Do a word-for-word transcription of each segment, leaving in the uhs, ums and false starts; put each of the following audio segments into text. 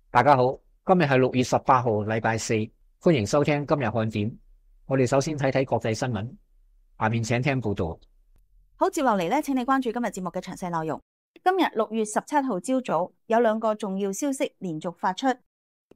大家好，今日係六月十八號，禮拜四，歡迎收聽今日看點。我哋首先睇睇國際新聞，下面請聽報道。好，接落嚟咧，請你關注今日節目嘅詳細內容。今日六月十七號朝早有兩個重要消息連續發出，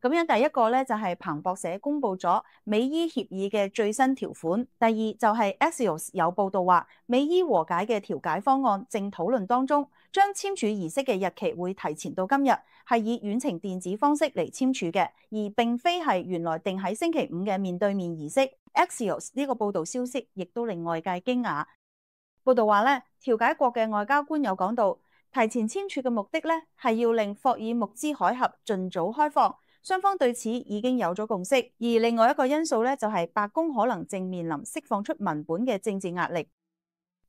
咁樣第一個咧就係彭博社公布咗美伊協議嘅最新條款，第二就係 Axios 有報道話美伊和解嘅調解方案正討論當中，將簽署儀式嘅日期會提前到今日，係以遠程電子方式嚟簽署嘅，而並非係原來定喺星期五嘅面對面儀式。Axios 呢個報道消息亦都令外界驚訝。報道話咧，調解國嘅外交官有講到，提前簽署嘅目的咧係要令霍爾木茲海峽盡早開放，雙方對此已經有咗共識。而另外一個因素咧就係白宮可能正面臨釋放出文本嘅政治壓力。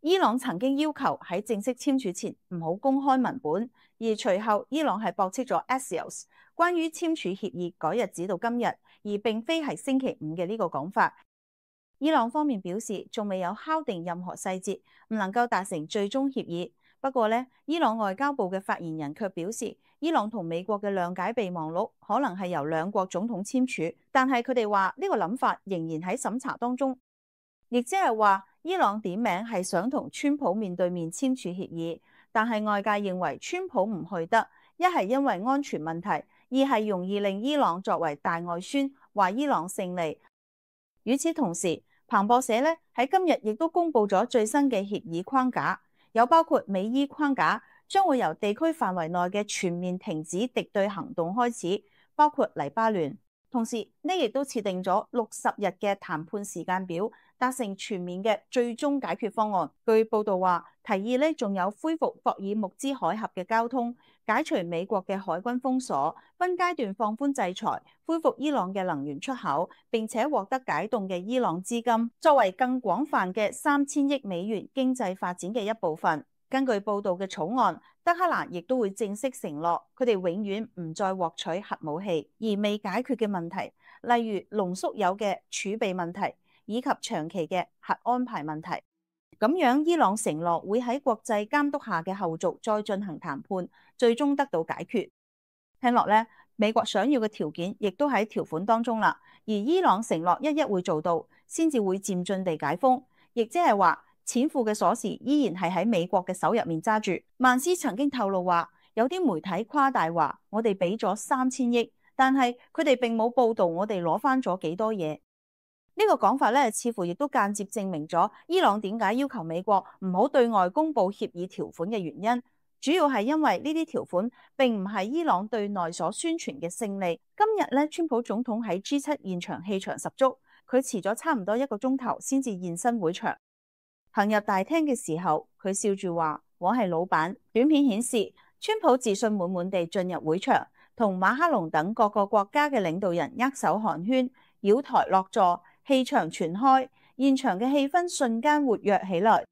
伊朗曾經要求喺正式簽署前唔好公開文本，而隨後伊朗係駁斥咗 Axios 關於簽署協議改日子到今日，而並非係星期五嘅呢個講法。伊朗方面表示仲未有敲定任何細節，唔能夠達成最終協議。不過呢，伊朗外交部嘅發言人卻表示，伊朗同美國嘅諒解備忘錄可能係由兩國總統簽署，但係佢哋話呢個諗法仍然喺審查當中，亦即係話伊朗點名係想同川普面對面簽署協議，但係外界認為川普唔去得，一係因為安全問題，二係容易令伊朗作為大外宣，話伊朗勝利。與此同時，彭博社咧喺今日亦都公布咗最新嘅協議框架，有包括美伊框架，將會由地區範圍內嘅全面停止敵對行動開始，包括黎巴嫩。同時呢亦都設定咗六十日嘅談判時間表，達成全面嘅最終解決方案。據報道話，提議呢仲有恢復霍爾木茲海峽嘅交通，解除美國嘅海軍封鎖，分階段放寬制裁，恢復伊朗嘅能源出口，並且獲得解凍嘅伊朗資金，作為更廣泛嘅三千億美元經濟發展嘅一部分。根據報道嘅草案，德黑蘭亦都會正式承諾，佢哋永遠唔再獲取核武器，而未解決嘅問題，例如濃縮鈾嘅儲備問題，以及長期嘅核安排問題。咁樣，伊朗承諾會喺國際監督下嘅後續再進行談判，最終得到解決。聽落咧，美國想要嘅條件亦都喺條款當中啦，而伊朗承諾一一會做到，先至會漸進地解封，亦即係話，錢庫嘅鎖匙依然係喺美國嘅手入面揸住。曼斯曾經透露話，有啲媒體誇大話，我哋俾咗三千億，但係佢哋並冇報道我哋攞翻咗幾多嘢。呢個講法咧，似乎亦都間接證明咗伊朗點解要求美國唔好對外公布協議條款嘅原因，主要係因為呢啲條款並唔係伊朗對內所宣傳嘅勝利。今日咧，川普總統喺 G 七現場氣場十足，佢遲咗差唔多一個鐘頭先至現身會場。行入大廳嘅時候，佢笑住話：我係老闆。短片顯示，川普自信滿滿地進入會場，同馬克龍等各個國家嘅領導人握手寒暄，繞台落座，氣場全開，現場嘅氣氛瞬間活躍起來。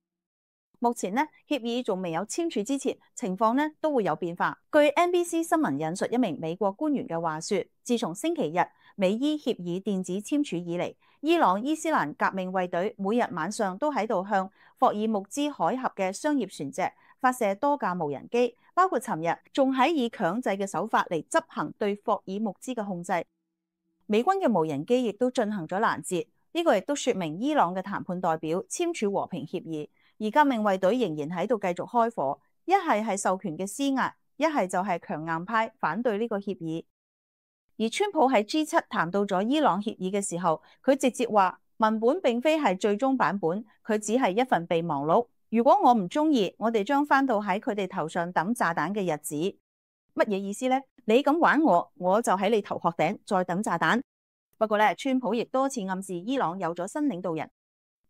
目前呢，協議仲未有簽署之前，情況呢都會有變化。據 N B C 新聞引述一名美國官員嘅話說，自從星期日美伊協議電子簽署以嚟，伊朗伊斯蘭革命衛隊每日晚上都喺度向霍爾木茲海峽嘅商業船隻發射多架無人機，包括尋日仲喺以強制嘅手法嚟執行對霍爾木茲嘅控制。美軍嘅無人機亦都進行咗攔截，呢個亦都說明伊朗嘅談判代表簽署和平協議，而革命衛隊仍然喺度繼續開火，一係係授權嘅施壓，一係就係強硬派反對呢個協議。而川普喺 G 七談到咗伊朗協議嘅時候，佢直接話文本並非係最終版本，佢只係一份備忘錄。如果我唔中意，我哋將翻到喺佢哋頭上抌炸彈嘅日子。乜嘢意思呢？你咁玩我，我就喺你頭殼頂再抌炸彈。不過咧，川普亦多次暗示伊朗有咗新領導人。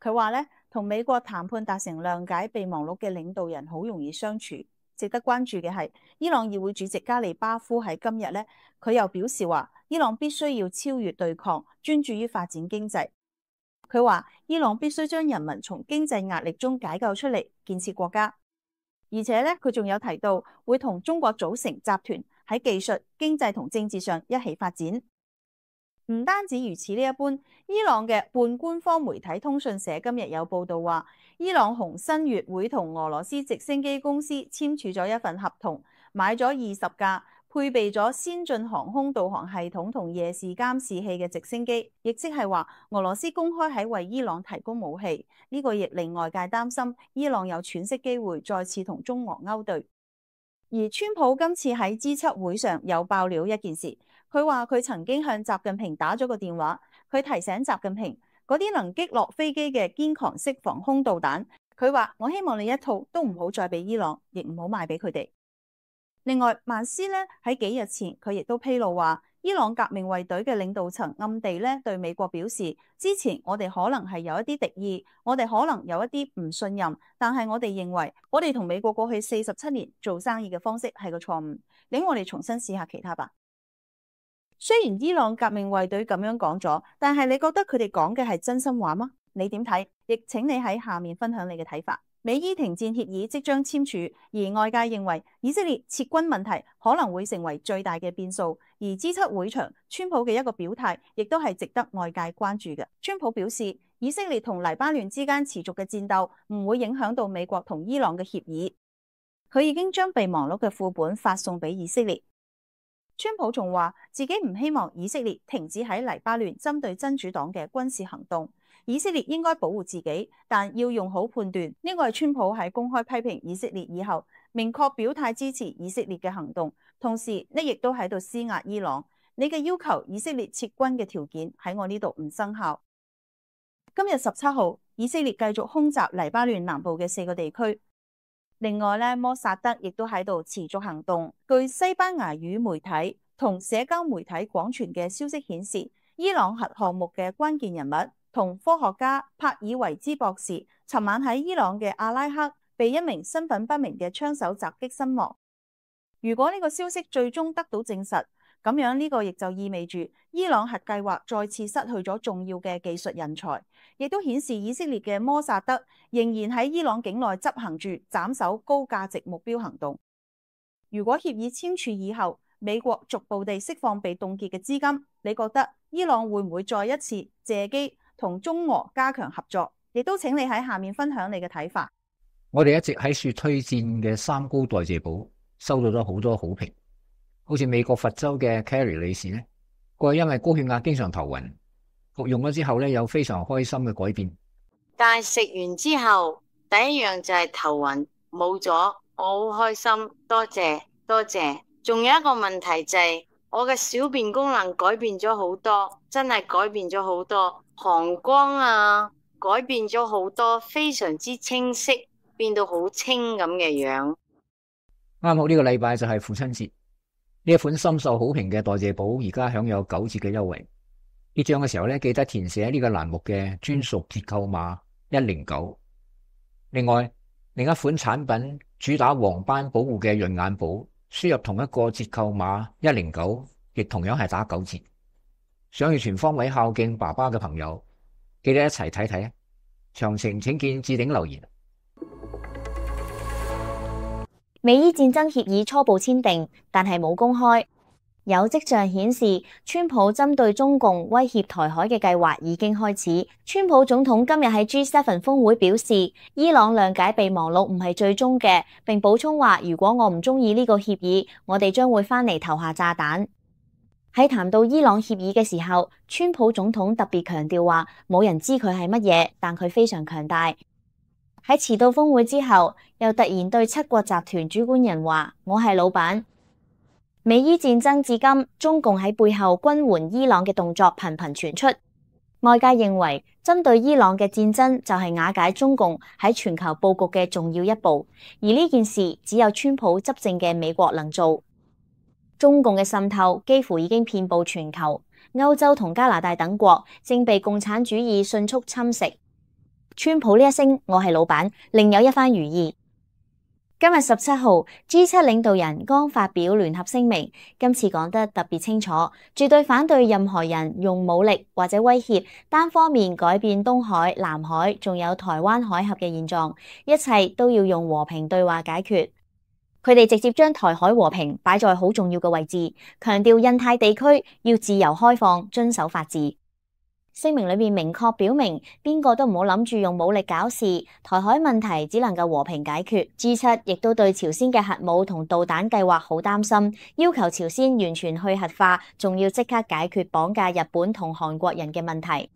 佢話咧，同美國談判達成諒解備忘錄嘅領導人好容易相處。值得關注嘅係，伊朗議會主席加里巴夫喺今日咧，佢又表示話，伊朗必須要超越對抗，專注於發展經濟。佢話，伊朗必須將人民從經濟壓力中解救出嚟，建設國家。而且咧，佢仲有提到會同中國組成集團，喺技術、經濟同政治上一起發展。唔單止如此呢一般，伊朗嘅半官方媒體通訊社今日有報道話，伊朗紅新月會同俄羅斯直升機公司簽署咗一份合同，買咗二十架配備咗先進航空導航系統同夜視監視器嘅直升機，亦即係話俄羅斯公開喺為伊朗提供武器，呢個亦令外界擔心伊朗有喘息機會再次同中俄勾對。而川普今次喺 G 七 會上有爆料一件事，佢話佢曾經向習近平打咗個電話，佢提醒習近平嗰啲能擊落飛機嘅堅強式防空導彈，佢話我希望你一套都唔好再俾伊朗，亦唔好賣俾佢哋。另外，曼斯咧喺幾日前佢亦都披露話，伊朗革命衛隊嘅領導層暗地咧對美國表示，之前我哋可能係有一啲敵意，我哋可能有一啲唔信任，但係我哋認為我哋同美國過去四十七年做生意嘅方式係個錯誤，令我哋重新試下其他吧。雖然伊朗革命衛隊咁樣講咗，但係你覺得佢哋講嘅係真心話嗎？你點睇？亦請你喺下面分享你嘅睇法。美伊停戰協議即將簽署，而外界認為以色列撤軍問題可能會成為最大嘅變數。而 G 七 會場，川普嘅一個表態亦都係值得外界關注嘅。川普表示，以色列同黎巴嫩之間持續嘅戰鬥唔會影響到美國同伊朗嘅協議。佢已經將備忘錄嘅副本發送俾以色列。川普仲話自己唔希望以色列停止喺黎巴嫩針對真主黨嘅軍事行動。以色列應該保護自己，但要用好判斷。呢個係川普喺公開批評以色列以後，明確表態支持以色列嘅行動。同時，呢亦都喺度施壓伊朗。你嘅要求以色列撤軍嘅條件喺我呢度唔生效。今日十七號，以色列繼續空襲黎巴嫩南部嘅四個地區。另外咧，摩薩德亦都喺度持續行動。據西班牙語媒體同社交媒體廣傳嘅消息顯示，伊朗核項目嘅關鍵人物同科學家帕爾維茲博士，尋晚喺伊朗嘅阿拉克被一名身份不明嘅槍手襲擊身亡。如果呢個消息最終得到證實，咁樣呢個亦就意味住伊朗核計劃再次失去咗重要嘅技術人才，亦都顯示以色列嘅摩薩德仍然喺伊朗境內執行住斬首高價值目標行動。如果協議簽署以後，美國逐步地釋放被凍結嘅資金，你覺得伊朗會唔會再一次借機同中俄加強合作？亦都請你喺下面分享你嘅睇法。我哋一直喺說推薦嘅三高代謝寶收到咗好多好評，好似美國佛州嘅 Carrie 女士呢，佢因為高血壓經常頭暈，服用咗之後呢，有非常開心嘅改變。但係食完之後，第一樣就係頭暈冇咗，我好開心，多謝多謝。仲有一個問題就係、是、我嘅小便功能改變咗好多，真係改變咗好多，膀胱啊改變咗好多，非常之清晰，變到好清咁嘅樣。啱好呢個禮拜就係父親節，呢一款深受好評嘅代謝寶而家享有九折嘅優惠。結賬嘅時候咧，記得填寫呢個欄目嘅專屬折扣碼一零九。另外，另一款產品主打黃斑保護嘅潤眼寶，輸入同一個折扣碼一零九，亦同樣係打九折。想要全方位孝敬爸爸嘅朋友，記得一齊睇睇啊！詳情請見置頂留言。美伊戰爭協議初步簽訂，但係冇公開。有跡象顯示，川普針對中共威脅台海嘅計劃已經開始。川普總統今日喺 G 七 峰會表示，伊朗諒解備忘錄唔係最終嘅，並補充話，如果我唔中意呢個協議，我哋將會翻嚟投下炸彈。喺談到伊朗協議嘅時候，川普總統特別強調話，冇人知佢係乜嘢，但佢非常強大。喺遲到峰會之後，又突然對七國集團主管人話，我係老闆。美伊戰爭至今，中共喺背後軍援伊朗嘅動作頻頻傳出。外界認為，針對伊朗嘅戰爭就係瓦解中共喺全球佈局嘅重要一步，而呢件事只有川普執政嘅美國能做。中共嘅滲透幾乎已經遍佈全球，歐洲同加拿大等國正被共產主義迅速侵蝕。川普呢一聲我係老闆，另有一番寓意。今日十七號 G 七 領導人剛發表聯合聲明，今次講得特別清楚，絕對反對任何人用武力或者威脅單方面改變東海、南海仲有台灣海峽嘅現狀，一切都要用和平對話解決。佢哋直接將台海和平擺在好重要嘅位置，強調印太地區要自由開放、遵守法治。聲明裏面明確表明，邊個都唔好諗住用武力搞事，台海問題只能夠和平解決。G 七亦都對朝鮮嘅核武同導彈計劃好擔心，要求朝鮮完全去核化，仲要即刻解決綁架日本同韓國人嘅問題。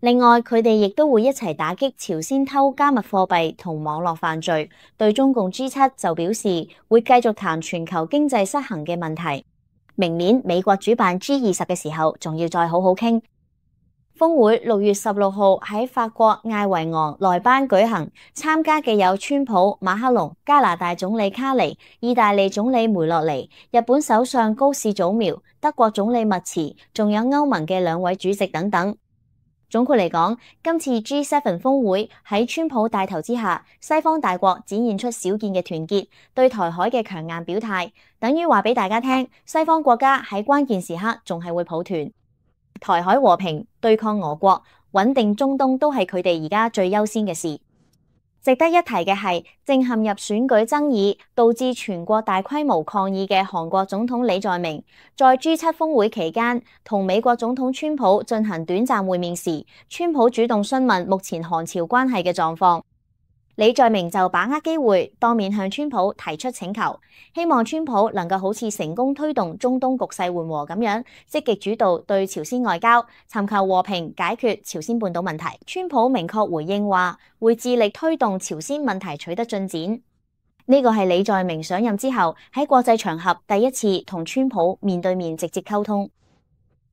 另外，佢哋亦都會一齊打擊朝鮮偷加密貨幣同網絡犯罪。對中共 G 七就表示會繼續談全球經濟失衡嘅問題。明年美國主辦 G 二十嘅時候，仲要再好好傾。峰會六月十六號喺法國艾維昂萊班舉行，參加嘅有川普、馬克龍、加拿大總理卡尼、意大利總理梅洛尼、日本首相高市早苗、德國總理密茨，仲有歐盟嘅兩位主席等等。總括嚟講，今次 G 七 峰會喺川普帶頭之下，西方大國展現出少見嘅團結，對台海嘅強硬表態，等於話俾大家聽，西方國家喺關鍵時刻仲係會抱團。台海和平、對抗俄國、穩定中東都係佢哋而家最優先嘅事。值得一提嘅係，正陷入選舉爭議，導致全國大規模抗議嘅韓國總統李在明，在 G 七 峰會期間同美國總統川普進行短暫會面時，川普主動詢問目前韓朝關係嘅狀況。李在明就把握機會，當面向川普提出請求，希望川普能夠好似成功推動中東局勢緩和咁樣，積極主導對朝鮮外交，尋求和平解決朝鮮半島問題。川普明確回應話，會致力推動朝鮮問題取得進展。呢個係李在明上任之後喺國際場合第一次同川普面對面直接溝通。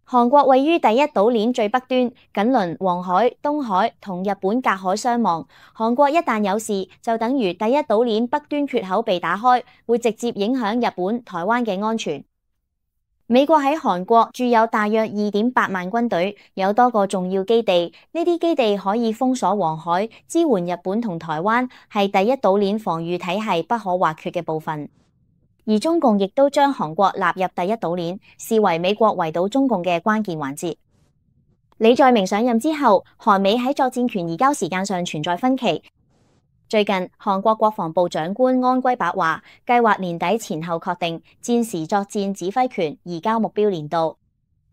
韓國位於第一島鏈最北端，緊鄰黃海、東海，同日本隔海相望。韓國一旦有事，就等於第一島鏈北端缺口被打開，會直接影響日本、台灣嘅安全。美國喺韓國駐有大約二點八萬軍隊，有多個重要基地，呢啲基地可以封鎖黃海，支援日本同台灣，係第一島鏈防禦體系不可或缺嘅部分。而中共亦都將韓國納入第一島鏈，視為美國圍堵中共嘅關鍵環節。李在明上任之後，韓美喺作戰權移交時間上存在分歧。最近，韓國國防部長官安圭白話，計劃年底前後確定戰時作戰指揮權移交目標年度。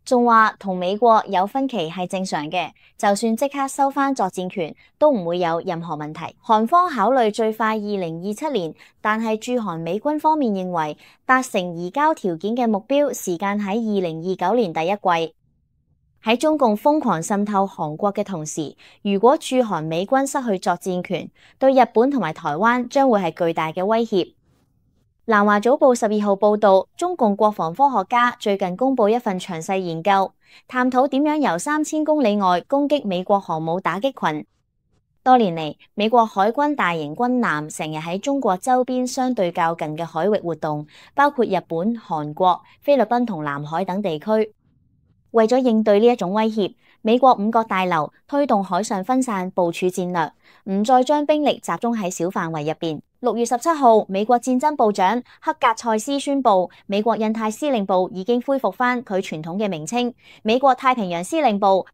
仲話同美國有分歧係正常嘅，就算即刻收返作戰權，都唔會有任何問題。韓方考慮最快二零二七年，但係駐韓美軍方面認為達成移交條件嘅目標時間喺二零二九年第一季。喺中共瘋狂滲透韓國嘅同時，如果駐韓美軍失去作戰權，對日本同埋台灣將會係巨大嘅威脅。南華早報十二號報道，中共國防科學家最近公布一份詳細研究，探討點樣由三千公里外攻擊美國航母打擊群。多年嚟，美國海軍大型軍艦成日喺中國周邊相對較近嘅海域活動，包括日本、韓國、菲律賓同南海等地區。為咗應對呢一種威脅，美國五角大樓推動海上分散部署戰略，唔再將兵力集中喺小範圍入邊。六月十七號，美國戰爭部長克格塞斯宣布，美國印太司令部已經恢復返佢傳統嘅名稱——美國太平洋司令部。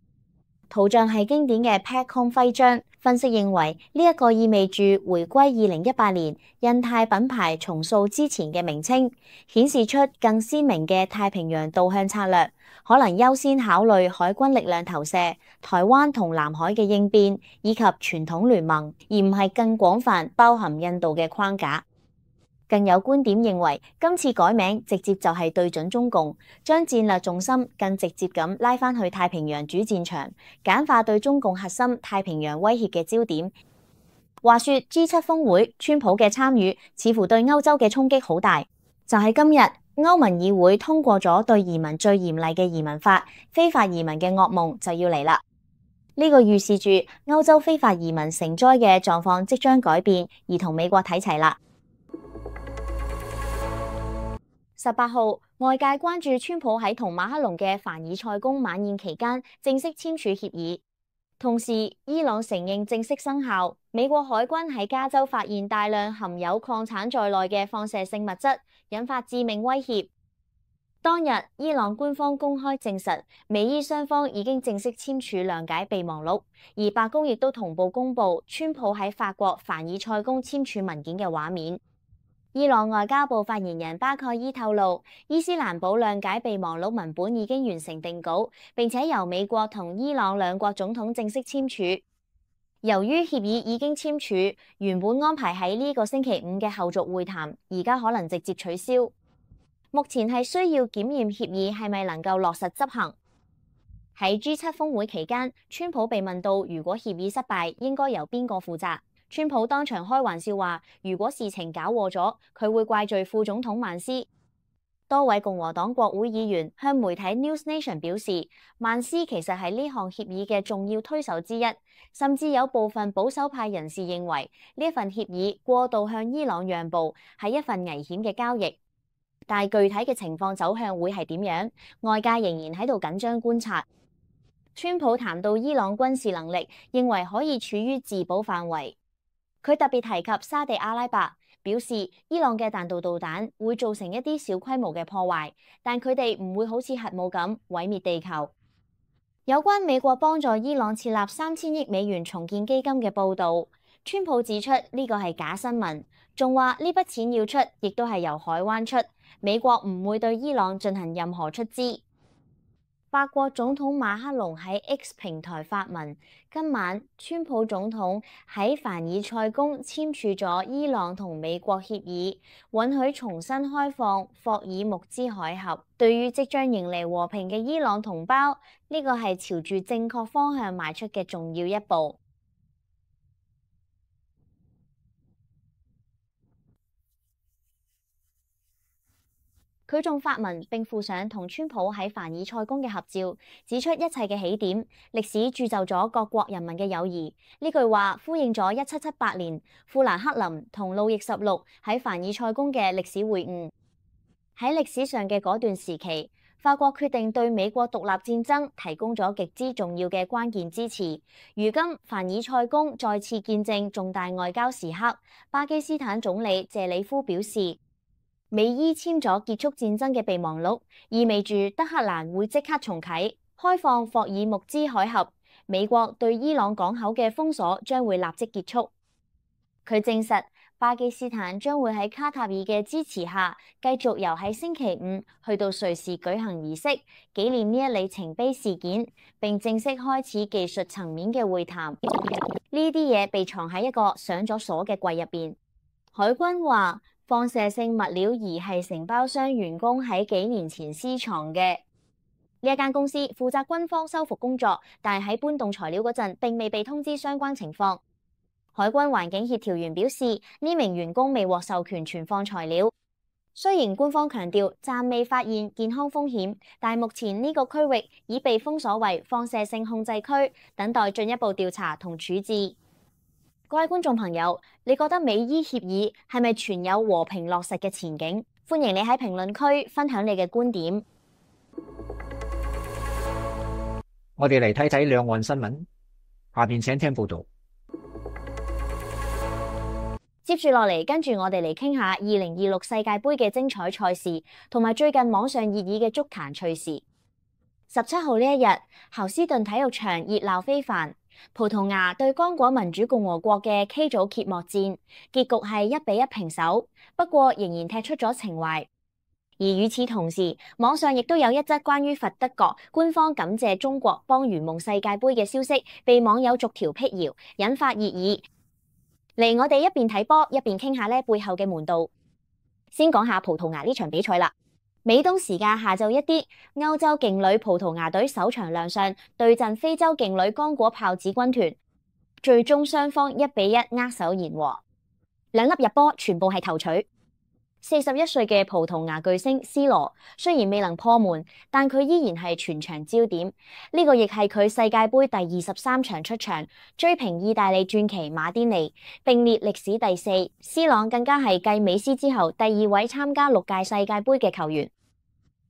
圖像係經典嘅 PACOM 徽章。分析認為，呢、這、一個意味住回歸二零一八年印太品牌重塑之前嘅名稱，顯示出更鮮明嘅太平洋導向策略，可能優先考慮海軍力量投射、台灣同南海嘅應變以及傳統聯盟，而唔係更廣泛包含印度嘅框架。更有觀點認為，今次改名直接就係對準中共，將戰略重心更直接咁拉返去太平洋主戰場，簡化對中共核心太平洋威脅嘅焦點。話說 G 七 峰會，川普嘅參與似乎對歐洲嘅衝擊好大。就喺今日，歐盟議會通過咗對移民最嚴厲嘅移民法，非法移民嘅噩夢就要嚟啦。呢個預示住歐洲非法移民成災嘅狀況即將改變，而同美國睇齊啦。十八號，外界關注川普喺同馬克龍嘅凡爾賽宮晚宴期間正式簽署協議，同時伊朗承認正式生效。美國海軍喺加州發現大量含有礦產在內嘅放射性物質，引發致命威脅。當日，伊朗官方公開證實，美伊雙方已經正式簽署諒解備忘錄，而白宮亦都同步公布川普喺法國凡爾賽宮簽署文件嘅畫面。伊朗外交部發言人巴蓋伊透露，伊斯蘭堡諒解備忘錄文本已經完成定稿，並且由美國同伊朗兩國總統正式簽署。由於協議已經簽署，原本安排喺呢個星期五嘅後續會談，而家可能直接取消。目前係需要檢驗協議係咪能夠落實執行。喺 G 七峰會期間，川普被問到如果協議失敗，應該由邊個負責？川普當場開玩笑話，如果事情搞禍咗，佢會怪罪副總統曼斯。多位共和黨國會議員向媒體 News Nation 表示，曼斯其實係呢項協議嘅重要推手之一，甚至有部分保守派人士認為呢份協議過度向伊朗讓步係一份危險嘅交易。但係具體嘅情況走向會係點樣？外界仍然喺度緊張觀察。川普談到伊朗軍事能力，認為可以處於自保範圍。佢特別提及沙地阿拉伯，表示伊朗嘅彈道導彈會造成一啲小規模嘅破壞，但佢哋唔會好似核武咁毀滅地球。有關美國幫助伊朗設立三千億美元重建基金嘅報導，川普指出呢個係假新聞，仲話呢筆錢要出，亦都係由海灣出，美國唔會對伊朗進行任何出資。法國總統馬克龍喺 X 平台發文，今晚川普總統喺凡爾賽宮簽署咗伊朗同美國協議，允許重新開放霍爾木茲海峽。對於即將迎嚟和平嘅伊朗同胞，呢個係朝住正確方向邁出嘅重要一步。佢仲發文並附上同川普喺凡爾賽宮嘅合照，指出一切嘅起點，歷史鑄就咗各國人民嘅友誼。呢句話呼應咗一七七八年富蘭克林同路易十六喺凡爾賽宮嘅歷史會晤。喺歷史上嘅嗰段時期，法國決定對美國獨立戰爭提供咗極之重要嘅關鍵支持。如今凡爾賽宮再次見證重大外交時刻，巴基斯坦總理謝里夫表示，美伊簽咗結束戰爭嘅備忘錄，意味住德黑蘭會即刻重啟開放霍爾木茲海峽，美國對伊朗港口嘅封鎖將會立即結束。佢證實巴基斯坦將會喺卡塔爾嘅支持下，繼續由喺星期五去到瑞士舉行儀式，紀念呢一里程碑事件，並正式開始技術層面嘅會談。呢啲嘢被藏喺一個上咗鎖嘅櫃入邊。海軍話，放射性物料儀係承包商員工喺幾年前私藏嘅。呢一間公司負責軍方修復工作，但係喺搬動材料嗰陣並未被通知相關情況。海軍環境協調員表示，呢名員工未獲授權存放材料。雖然官方強調暫未發現健康風險，但目前呢個區域已被封鎖為放射性控制區，等待進一步調查同處置。各位觀眾朋友，你覺得美伊協議係咪存有和平落實嘅前景？歡迎你喺評論區分享你嘅觀點。我哋嚟睇睇兩岸新聞，下邊請聽報道。接住落嚟，跟住我哋嚟傾下二零二六世界盃嘅精彩賽事，同埋最近網上熱議嘅足壇趣事。十七號呢一日，侯斯頓體育場熱鬧非凡。葡萄牙對剛果民主共和國嘅 K 組揭幕戰，結局係一比一平手，不過仍然踢出咗情懷。而與此同時，網上亦都有一則關於佛得角官方感謝中國幫圓夢世界盃嘅消息，被網友逐條闢謠，引發熱議。嚟，我哋一邊睇波一邊傾下呢背後嘅門道。先講下葡萄牙呢場比賽啦。美東時間下晝一啲，歐洲勁旅葡萄牙隊首場亮相，對陣非洲勁旅剛果豹子軍團，最終雙方一比一握手言和，兩粒入波全部係頭槌。四十一歲嘅葡萄牙巨星 C 羅雖然未能破門，但佢依然係全場焦點。呢、這個亦係佢世界盃第二十三場出場，追平意大利傳奇馬甸尼，並列歷史第四。C 朗更加係繼美斯之後第二位參加六屆世界盃嘅球員。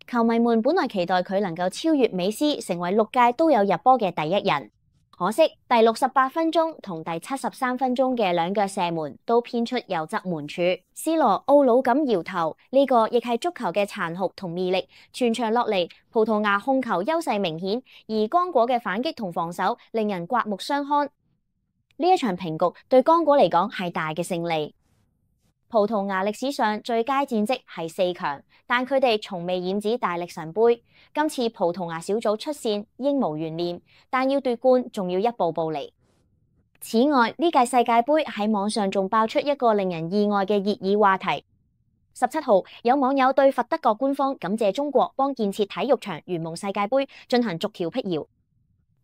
球迷們本來期待佢能夠超越美斯，成為六屆都有入波嘅第一人。可惜第六十八分鐘同第七十三分鐘嘅兩腳射門都偏出右側門柱。C 羅懊惱咁搖頭，呢、這個亦係足球嘅殘酷同魅力。全場落嚟，葡萄牙控球優勢明顯，而剛果嘅反擊同防守令人刮目相看。呢一場平局對剛果嚟講係大嘅勝利。葡萄牙歷史上最佳戰績係四強，但佢哋從未染指大力神杯。今次葡萄牙小組出線應無懸念，但要奪冠仲要一步步嚟。此外，呢屆世界盃喺網上仲爆出一個令人意外嘅熱議話題。十七號，有網友對佛得角官方感謝中國幫建設體育場圓夢世界盃進行逐條闢謠。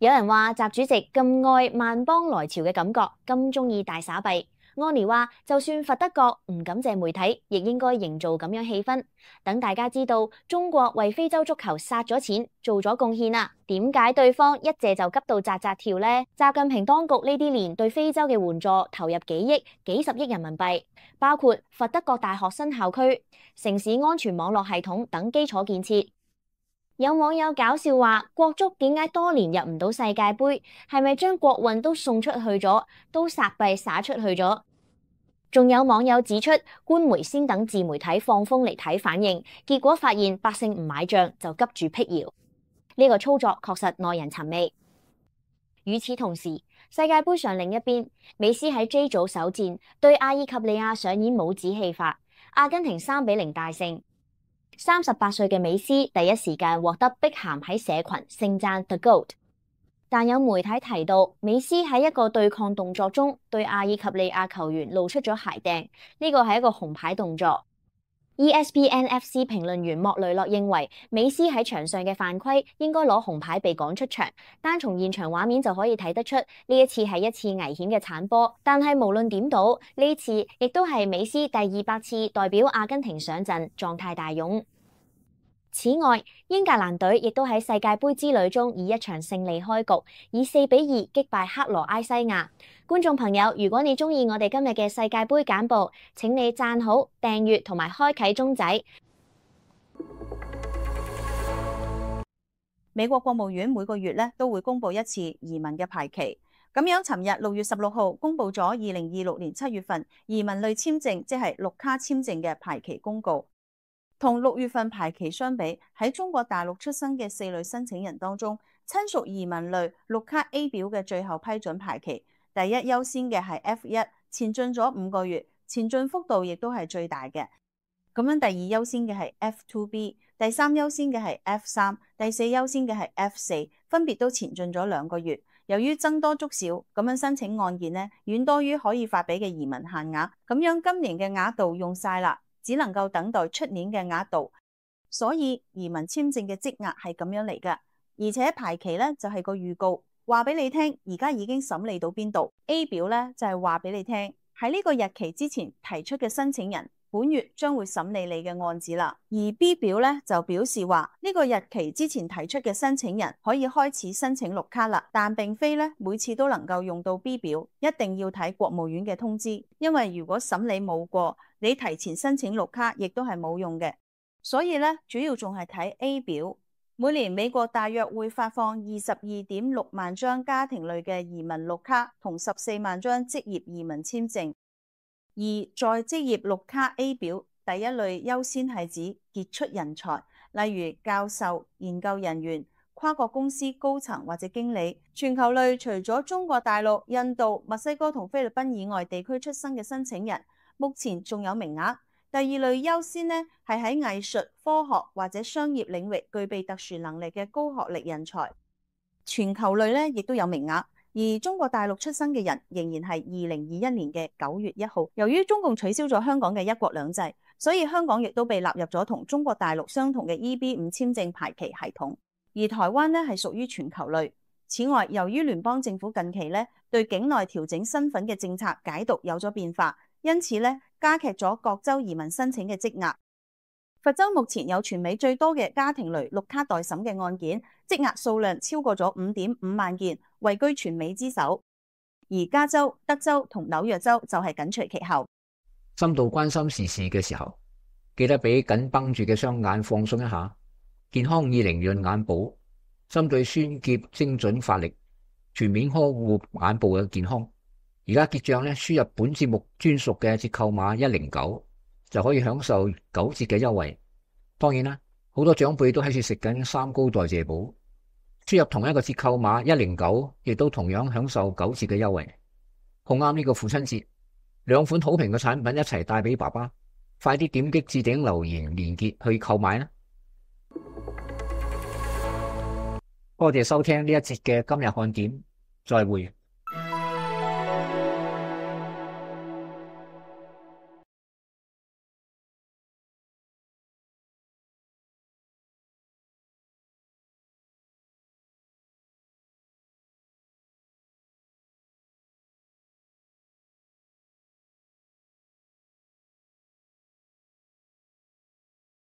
有人話習主席咁愛萬邦來朝嘅感覺，咁中意大撒幣。安妮話：就算佛得角唔感謝媒體，亦應該營造咁樣氣氛，等大家知道中國為非洲足球殺咗錢，做咗貢獻啦。點解對方一謝就急到扎扎跳呢？習近平當局呢啲年對非洲嘅援助投入幾億、幾十億人民幣，包括佛得角大學新校區、城市安全網絡系統等基礎建設。有網友搞笑話：國足點解多年入唔到世界盃？係咪將國運都送出去咗，都撒幣撒出去咗？仲有網友指出，官媒先等自媒體放風嚟睇反應，結果發現百姓唔買賬就急住闢謠。呢個操作確實耐人尋味。與此同時，世界盃上另一邊，美斯喺 J 組首戰對阿爾及利亞上演帽子戲法，阿根廷三比零大勝。三十八歲嘅美斯第一時間獲得碧咸喺社群盛讚 The Goat， 但有媒體提到美斯喺一個對抗動作中對阿爾及利亞球員露出咗鞋掟，呢個係一個紅牌動作。E S P N F C 評論員莫雷諾認為美斯喺場上嘅犯規應該攞紅牌被趕出場，單從現場畫面就可以睇得出呢一次係一次危險嘅鏟波。但係無論點倒，呢次亦都係美斯第二百次代表阿根廷上陣，狀態大勇。此外，英格蘭隊亦都喺世界盃之旅中以一場勝利開局，以四比二擊敗克羅埃西亞。觀眾朋友，如果你鍾意我哋今日嘅世界盃簡報，請你讚好、訂閱同埋開啟鐘仔。美國國務院每個月咧都會公布一次移民嘅排期。咁樣，尋日六月十六號公布咗二零二六年七月份移民類簽證，即係綠卡簽證嘅排期公告。同六月份排期相比，喺中國大陸出生嘅四類申請人當中，親屬移民類綠卡 A 表嘅最後批准排期，第一優先嘅係 F 一，前進咗五個月，前進幅度亦都係最大嘅。咁樣第二優先嘅係 F 二 B， 第三優先嘅係 F 三，第四優先嘅係 F 四，分別都前進咗兩個月。由於僧多粥少，咁樣申請案件呢遠多於可以發俾嘅移民限額，咁樣今年嘅額度用晒啦。只能夠等待出年嘅額度，所以移民簽證嘅積壓係咁樣嚟㗎。而且排期咧就係個預告，話俾你聽而家已經審理到邊度。A 表咧就係話俾你聽喺呢個日期之前提出嘅申請人，本月將會審理你嘅案子啦。而 B 表咧就表示話呢個日期之前提出嘅申請人可以開始申請綠卡啦，但並非咧每次都能夠用到 B 表，一定要睇國務院嘅通知，因為如果審理冇過，你提前申請綠卡亦都係冇用嘅，所以咧主要仲係睇 A 表。每年美國大約會發放二十二點六萬張家庭類嘅移民綠卡同十四萬張職業移民簽證，而在職業綠卡 A 表第一類優先係指傑出人才，例如教授、研究人員、跨國公司高層或者經理。全球類除咗中國大陸、印度、墨西哥同菲律賓以外地區出生嘅申請人，目前仲有名額。第二類優先呢，係喺藝術、科學或者商業領域具備特殊能力嘅高學歷人才。全球類呢亦都有名額，而中國大陸出生嘅人仍然係二零二一年嘅九月一號。由於中共取消咗香港嘅一國兩制，所以香港亦都被納入咗同中國大陸相同嘅 E B 五簽證排期系統。而台灣呢係屬於全球類。此外，由於聯邦政府近期呢對境內調整身份嘅政策解讀有咗變化，因此咧，加劇咗各州移民申請嘅積壓。佛州目前有全美最多嘅家庭類綠卡待審嘅案件，積壓數量超過咗五點五萬件，位居全美之首。而加州、德州同紐約州就係緊隨其後。深度關心時事嘅時候，記得俾緊繃住嘅雙眼放鬆一下。健康二零潤眼保，針對酸澀精準發力，全面呵護眼部嘅健康。而家結賬咧，輸入本節目專屬嘅折扣碼一零九，就可以享受九折嘅優惠。當然啦，好多長輩都喺處食緊三高代謝寶，輸入同一個折扣碼一零九，亦都同樣享受九折嘅優惠。好啱呢個父親節，兩款好評嘅產品一齊帶俾爸爸，快啲點擊置頂留言連結去購買啦！多謝收聽呢一節嘅今日看點，再會。